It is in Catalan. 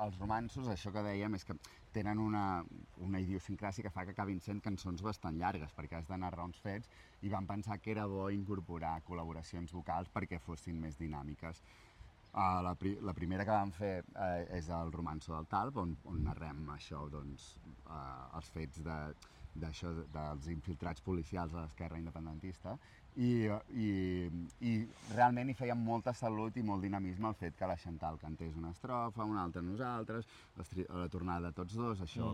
els romanços, això que dèiem, és que tenen una idiosincràsia que fa que acabin sent cançons bastant llargues, perquè has de narrar uns fets, i van pensar que era bo incorporar col·laboracions vocals perquè fossin més dinàmiques. La primera que vam fer és el Romanço del Talp, on narrem això, doncs, els fets dels infiltrats policials a l'esquerra independentista, i realment hi feia molta salut i molt dinamisme el fet que la Chantal cantés una estrofa, una altra nosaltres, la tornada de tots dos, això